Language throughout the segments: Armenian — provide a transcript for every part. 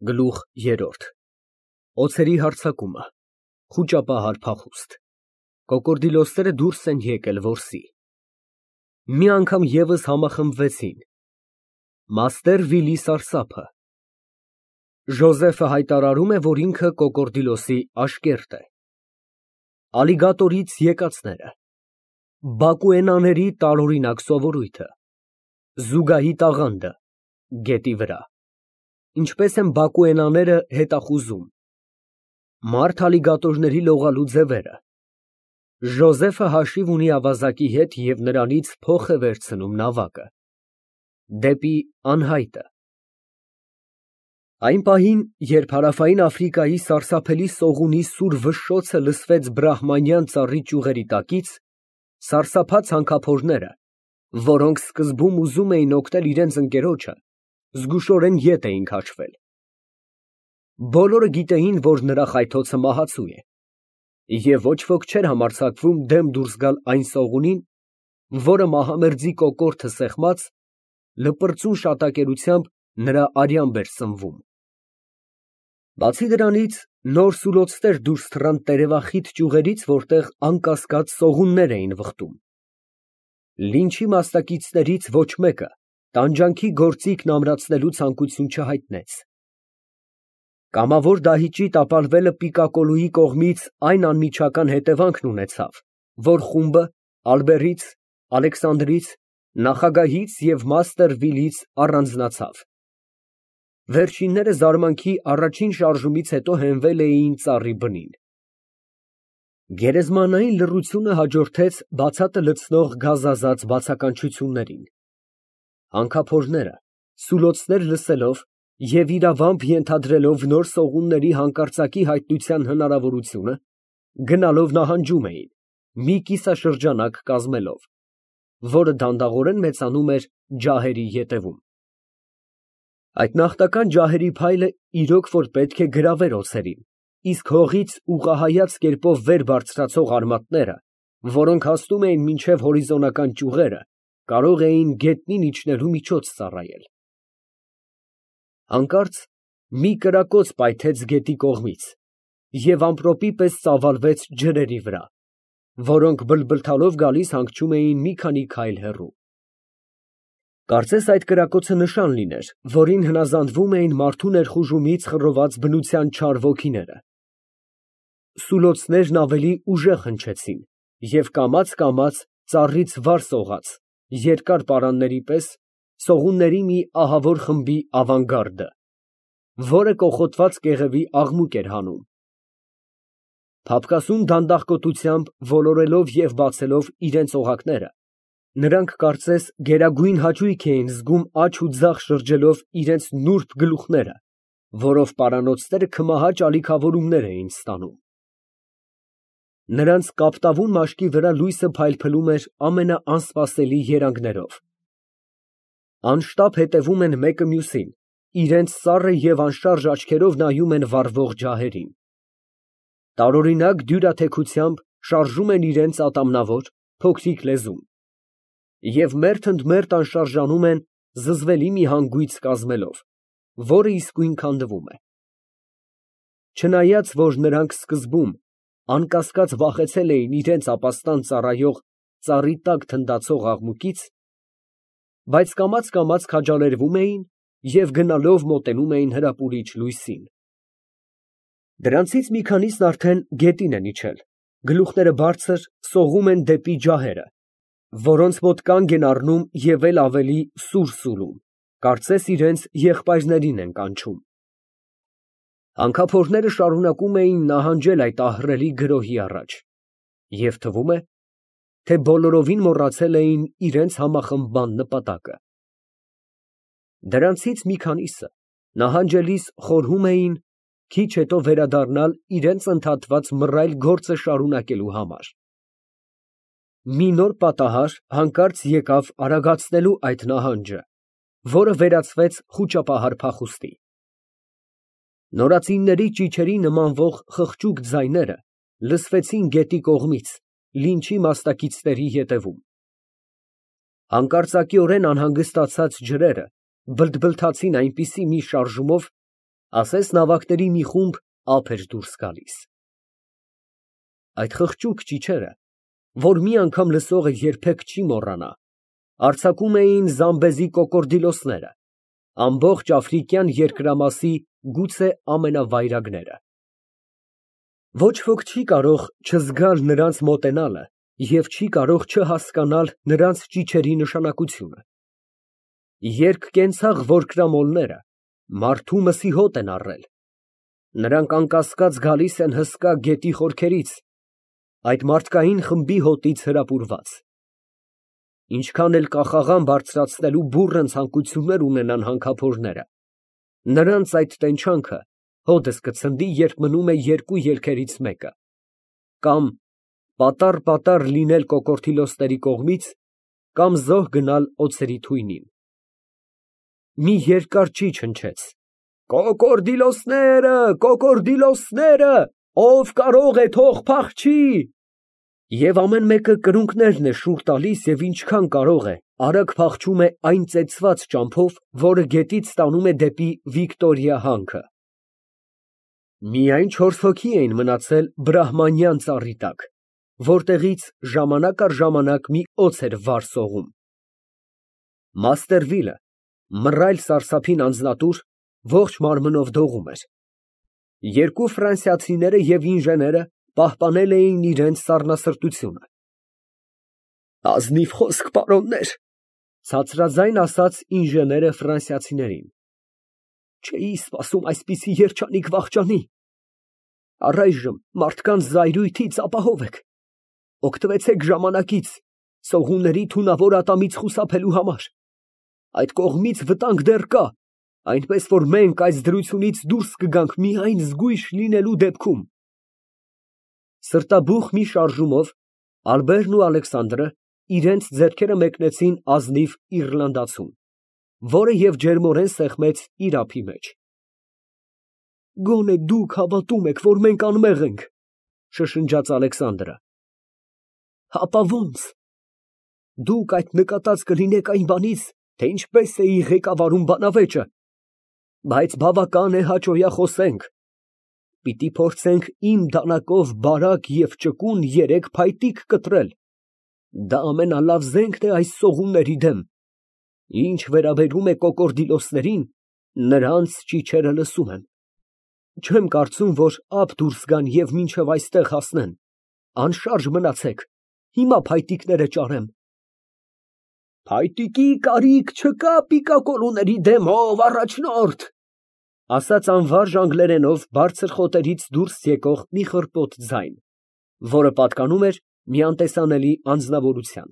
Գլուխ երրորդ Օձերի հարձակումը Խուճապահար փախուստ Կոկորդիլոսները դուրս են եկել որսի Մի անգամ ևս համախմբվեցին Մաստեր Վիլի սարսափը Ժոզեֆը հայտարարում է, որ ինքը Կոկորդիլոսի աշկերտ է Ալիգատորից եկածները Բակուենաների տարօրինակ սովորույթը Զուգահի տաղանդը Գետի վրա Ինչպես են բակուենաները հետախուզում Մարդ ալիգատորների լողալու ձևերը Ժոզեֆը հաշիվ ունի ավազակի հետ և նրանից փող է վերցնում նավակը Դեպի անհայտը Այն պահին, երբ Հարավային Աֆրիկայի սարսափելի սողունի սուր վշշոցը լսվեց բրահմանյան ծառի ճյուղերի տակից, սարսափած հանքափորները, որոնք սկզբում ուզում էին օգնել իրենց ընկերոջը, զգուշորեն ետ էին քաշվել։ Բոլորը գիտեին, որ նրա խայթոցը մահացու է, և ոչ ոք չէր համարձակվում դեմ դուրս գալ այն սողունին, որը մահամերձի կոկորդը սեղմած, լպրծուն շատակերությամբ նրա արյամբ էր սնվում։ Բացի դրանից, նոր սուլոցներ դուրս թռան տերևախիտ ճյուղերից, որտեղ անկասկած սողուններ էին վխտում։ Լինչի մասնակիցներից ոչ մեկը տանջանքի գործիքն ամրացնելու ցանկություն չհայտնեց։ Կամավոր դահիճի տապալվելը Պիկակոլուի կողմից այն անմիջական հետևանքն ունեցավ, որ խումբը Ալբերից, Ալեքսանդրից, նախագահից և մաստեր Վիլից առանձնացավ։ Վերջինները զարմանքի առաջին շարժումից հետո հենվել էին ծառի բնին։ Գերեզմանային լռությունը հաջորդեց բացատը լցնող գազազած բացականչություններին։ Հանքափորները, սուլոցներ լսելով և իրավամբ ենթադրելով նոր սողունների հանկարծակի հայտնության հնարավորությունը, գնալով նահանջում էին, մի կիսաշրջանակ կազմելով, որը դանդաղորեն մեծանում էր ջահերի ետևում։ Այդ նախնական ջահերի փայլը իրոք որ պետք է գրավեր օձերին, իսկ հողից ուղղահայաց կերպով վեր բարձրացող արմատները, որոնք հասնում էին մինչև հորիզոնական ճյուղերը, կարող էին գետնին իջնելու միջոց ծառայել։ Հանկարծ մի կրակոց պայթեց գետի կողմից և ամպրոպի պես ծավալվեց ջրերի վրա, որոնք բլբլթալով գալիս հանգչում էին մի քանի քայլ հեռու։ Կարծես այդ կրակոցը նշան լիներ, որին հնազանդվում էին մարդու ներխուժումից խռոված բնության չար ոգիները։ Սուլոցներն ավելի ուժեղ հնչեցին և կամաց ծառից վար սողաց, երկար պարանների պես, սողունների մի ահավոր խմբի ավանգարդը, որը կոխոտված կեղևի աղմուկ էր հանում։ Փափկասուն դանդաղկոտությամբ ոլորելով և բացելով իրենց օղակները, նրանք կարծես գերագույն հաճույք էին զգում աջ ու ձախ շրջելով իրենց նուրբ գլուխները, որով պարանոցները քմահաճ ալիքավորումներ էին ստանում։ Նրանց կապտավուն մաշկի վրա լույսը փայլփլում էր ամենաանսպասելի երանգներով։ Անշտապ հետևում են մեկը մյուսին, իրենց սառը և անշարժ աչքերով նայում են վառվող ջահերին։ Տարօրինակ դյուրաթեքությամբ շարժում են իրենց ատամնավոր, փոքրիկ լեզուն և մերթ ընդ մերթ անշարժանում են զզվելի մի հանգույց կազմելով, որը իսկույն քանդվում է։ Չնայած որ նրանք սկզբում անկասկած վախեցել էին իրենց ապաստան ծառայող ծառի տակ թնդացող աղմուկից, բայց կամաց քաջալերվում էին և գնալով մոտենում էին հրապուրիչ լույսին։ Դրանցից մի քանիսն արդեն գետին են իջել, գլուխները բարձր, սողում են դեպի ջահերը, որոնց մոտ կանգ են առնում և էլ ավելի սուր սուլում, կարծես իրենց եղբայրներին են կանչում։ Հանքափորները շարունակում էին նահանջել այդ ահռելի գրոհի առաջ, և թվում է, թե բոլորովին մոռացել էին իրենց համախմբման նպատակը։ Դրանցից մի քանիսը նահանջելիս խորհում էին քիչ հետո վերադառնալ իրենց ընդհատված մռայլ գործը շարունակելու համար։ Մի նոր պատահար հանկարծ եկավ արագացնելու այդ նահանջը, որը վերածվեց խուճապահար փախուստի։ Նորածինների ճիչերի նմանվող խղճուկ ձայները լսվեցին գետի կողմից, լինչի մասնակիցների ետևում։ Հանկարծակիորեն անհանգստացած ջրերը բլթբլթացին այնպիսի մի շարժումով, ասես նավակների մի խումբ ափ էր դուրս գալիս։ Այդ խղճուկ ճիչերը, որ մի անգամ լսողը երբեք չի մոռանա, արձակում էին Զամբեզի կոկորդիլոսները, ամբողջ աֆրիկյան երկրամասի գուցե ամենավայրագները։ Ոչ ոք չի կարող չզգալ նրանց մոտենալը և չի կարող չհասկանալ նրանց ճիչերի նշանակությունը։ Երկկենցաղ որկրամոլները մարդու մսիհոտ են առել։ Նրանք անկասկած գալիս են հսկա գետի խորքերից, այդ մարդկային խմբի հոտից հրապուրված։ Ինչքան էլ կախաղան բարձրացնելու բուռն ցանկություններ ունենան հանքափորները, նրանց այդ տենչանքը հօդս կցնդի, երբ մնում է երկու ելքերից մեկը, կամ պատառ լինել կոկորդիլոսների կողմից, կամ զոհ գնալ օձերի թույնին։ Մի երկար ճիչ հնչեց. «Կոկորդիլոսները, կոկորդիլոսները, ով կարող է թող փախչի»։ Եվ ամեն մեկը կրունկներն է շուռ տալիս և ինչքան կարող է, արագ փախչում է այն ծեծված ճամփով, որը գետից տանում է դեպի Վիկտորիա հանքը։ Միայն 4 հոգի էին մնացել բրահմանյան ծառի տակ, որտեղից ժամանակ առ ժամանակ մի օձ էր վար սողում։ Մաստերվիլը, մռայլ սարսափին անձնատուր, ողջ մարմնով դողում էր։ Երկու ֆրանսիացիները և ինժեները պահպանել էին իրենց սառնասրտությունը։ «Ազնիվ խոսք, պարոններ», ֊ ցածրաձայն ասաց ինժեները ֆրանսիացիներին։ «Չէի սպասում այսպիսի երջանիկ վախճանի։ Առայժմ մարդկանց զայրույթից ապահով եք։ Օգտվեցեք ժամանակից սողունների թունավոր ատամից խուսափելու համար։ Այդ կողմից վտանգ դեռ կա, այնպես որ մենք այս դրությունից դուրս կգանք միայն զգույշ լինելու դեպքում»։ Սրտաբուխ մի շարժումով Ալբերն ու Ալեքսանդրը իրենց ձեռքերը մեկնեցին ազնիվ իռլանդացուն, որը և ջերմորեն սեղմեց իր ափի մեջ։ «Գոնե դուք հավատում եք, որ մենք անմեղ ենք», ֊ շշնջաց Ալեքսանդրը։ «Հապա ո՞նց։ Դուք այդ նկատած կլինեք այն բանից, թե ինչպես էի ղեկավարում բանավեճը, բայց բավական է հաճոյախոսենք։ Պիտի փորձենք իմ դանակով բարակ և ճկուն 3 փայտիկ կտրել, դա ամենալավ զենքն է այս սողունների դեմ։ Ինչ վերաբերում է կոկորդիլոսներին, նրանց ճիչերը լսում եմ։ Չեմ կարծում, որ ափ դուրս գան և մինչև այստեղ հասնեն։ Անշարժ մնացեք, հիմա փայտիկները ճարեմ»։ «Փայտիկի կարիք չկա պիկակոլուների դեմ, ով առաջնորդ», ֊ ասաց անվարժ անգլերենով բարձր խոտերից դուրս եկող մի խռպոտ ձայն, որը պատկանում էր մի անտեսանելի անձնավորության։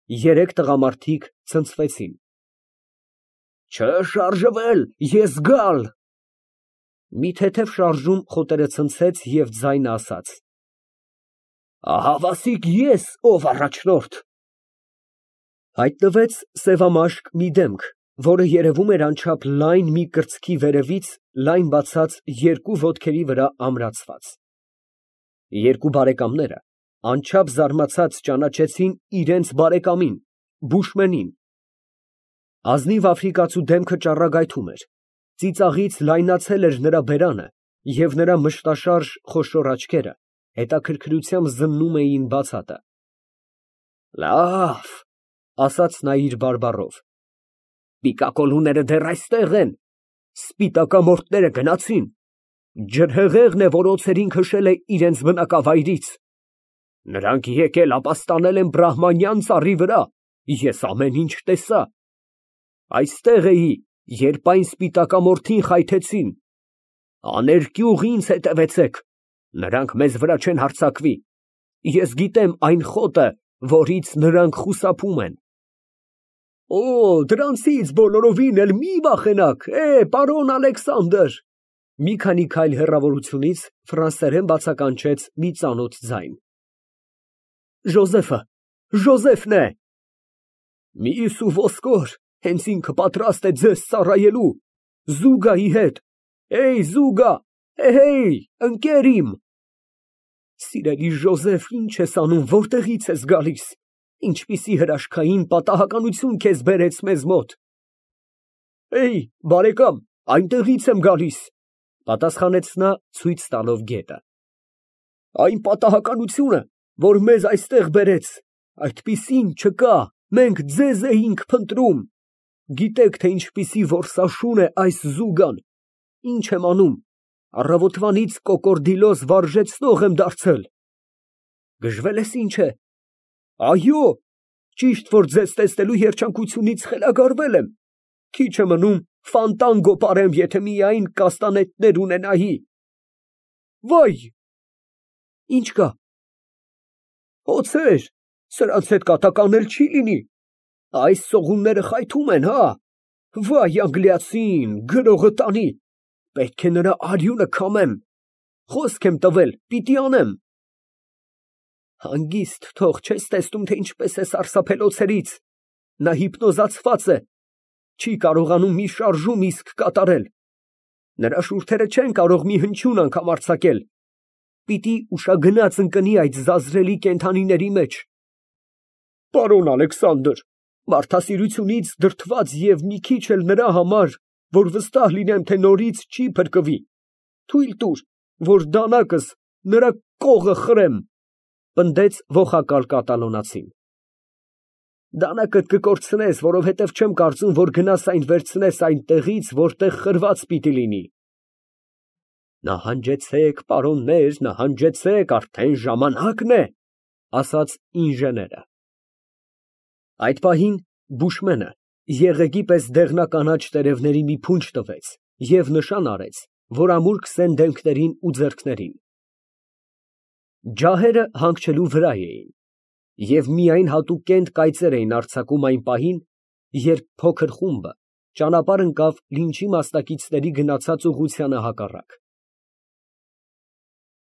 3 տղամարդիկ ցնցվեցին։ «Չշարժվել, ես գալ»։ Մի թեթև շարժում խոտերը ցնցեց և ձայնը ասաց. «Ահավասիկ ես, ով առաջնորդ»։ Հայտնվեց սևամաշկ մի դեմք, որը երևում էր անչափ լայն մի կրծքի վերևից լայն բացած 2 ոտքերի վրա ամրացված։ Երկու բարեկամները անչափ զարմացած ճանաչեցին իրենց բարեկամին, բուշմենին։ Ազնիվ աֆրիկացու դեմքը ճառագայթում էր, ծիծաղից լայնացել էր նրա բերանը, և նրա մշտաշարժ խոշոր աչքերը հետաքրքրությամբ զննում էին բացատը։ «Լավ», ֊ ասաց նա իր բարբառով, «պիկակոլուները դեռ այստեղ են, սպիտակամորթները գնացին, ջրհեղեղն է, որ օձերին քշել է իրենց բնակավայրից։ Նրանք եկել ապաստանել են բրահմանյան ծառի վրա, ես ամեն ինչ տեսա։ Այստեղ էի, երբ այն սպիտակամորթին խայթեցին։ Աներկյուղ ինձ հետևեցեք, նրանք մեզ վրա չեն հարձակվի, ես գիտեմ այն խոտը, որից նրանք խուսափում են»։ «Օ, դրանցից բոլորովին էլ մի վախենաք, պարոն Ալեքսանդր», ֊ մի քանի քայլ հեռավորությունից ֆրանսերեն բացականչեց մի ծանոթ ձայն։ «Ժոզեֆն է»։ «Միս ու ոսկոր, հենց ինքը պատրաստ է ձեզ ծառայելու, Զուգայի հետ։ Զուգա, հեյ, ընկեր իմ»։ «Սիրելի Ժոզեֆ, ինչ ես անում, որտեղից ես գալիս, ինչպիսի հրաշքային պատահականություն քեզ բերեց մեզ մոտ»։ «Բարեկամ, Այնտեղից եմ գալիս, պատասխանեց նա ցույց տալով գետը։ Այն պատահականությունը, որ մեզ այստեղ բերեց, այդպիսին չկա, մենք ձեզ էինք փնտրում։ Գիտեք, թե ինչպիսի որսաշուն է այս զուգան, ինչ եմ անում, առավոտվանից կոկորդիլոս վարժեցնող եմ դարձել։ Գժվել ես ինչ է։ Այո, ճիշտ որ ձեզ տեսնելու երջանկությունից խելագարվել եմ, քիչ է մնում ֆանտանգո պարեմ, եթե միայն կաստանետներ ունենայի։ Վայ, ինչ կա։ Օձեր, սրանց հետ կատակ անել չի լինի, այս սողունները խայթում են, հա։ Վայ անգլիացին, գրողը տանի, պետք է նրա արյունը քամեմ, խոսք եմ տվել, պիտի անեմ։ Հանգիստ թող, չես տեսնում, թե ինչպես է սարսափել օձերից, նա հիպնոզացված է, չի կարողանում մի շարժում իսկ կատարել, նրա շուրթերը չեն կարող մի հնչյուն անգամ արձակել, պիտի ուշագնաց ընկնի այդ զազրելի կենդանիների մեջ։ Պարոն Ալեքսանդր, մարդասիրությունից դրդված և մի քիչ էլ նրա համար, որ վստահ լինեմ, թե նորից չի փրկվի, թույլ տուր, որ դանակս նրա կողը խրեմ, պնդեց ոխակալ կատալոնացին։ Դանակդ կկորցնես, որովհետև չեմ կարծում, որ գնաս այն վերցնես այնտեղից, որտեղ խրված պիտի լինի։ Նահանջեցեք, պարոններ, նահանջեցեք, արդեն ժամանակն է, ասաց ինժեները։ Այդ պահին բուշմենը եղեգի պես դեղնականաչ տերևների մի փունջ տվեց և նշան արեց, որ ամուր քսեն դեմքներին ու ձեռքներին։ Ջահերը հանգչելու վրա էին, և միայն հատուկենտ կայծեր էին արձակում այն պահին, երբ փոքր խումբը ճանապարհ ընկավ Լինչի մասնակիցների գնացած ուղղությանը հակառակ։